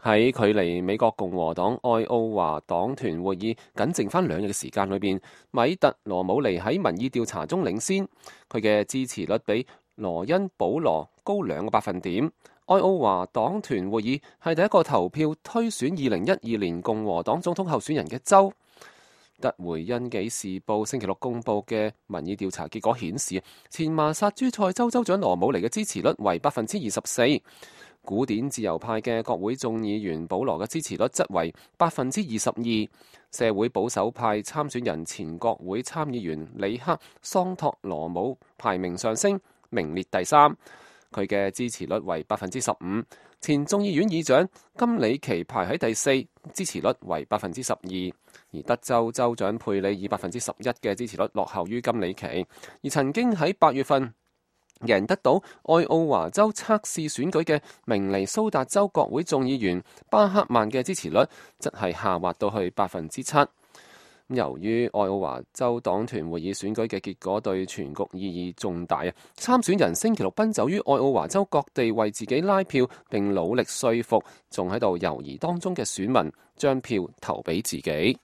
喺距離美國共和黨愛奧華黨團會議僅剩翻2日嘅時間裏邊，米特羅姆尼喺民意調查中領先，佢嘅支持率比羅恩保羅高2個百分點。愛奧華黨團會議係第一個投票推選2012年共和黨總統候選人嘅州。特回因紀時報星期六公佈嘅民意調查結果顯示，前麻薩諸塞州州長羅姆尼嘅支持率為24%。古典自由派嘅國會眾議員保羅嘅支持率則為22%，社會保守派參選人前國會參議員里克桑托羅姆排名上升，名列第3，佢嘅支持率為15%。前眾議院議長金里奇排喺第4，支持率為12%，而德州州長佩里以11%嘅支持率落後於金里奇，而曾經喺8月份贏得到愛奧華州測試選舉嘅明尼蘇達州國會眾議員巴克曼嘅支持率則係下滑到去7%。由於愛奧華州黨團會議選舉嘅結果對全局意義重大啊，參選人星期六奔走於愛奧華州各地為自己拉票，並努力說服仲喺度猶豫當中嘅選民將票投俾自己。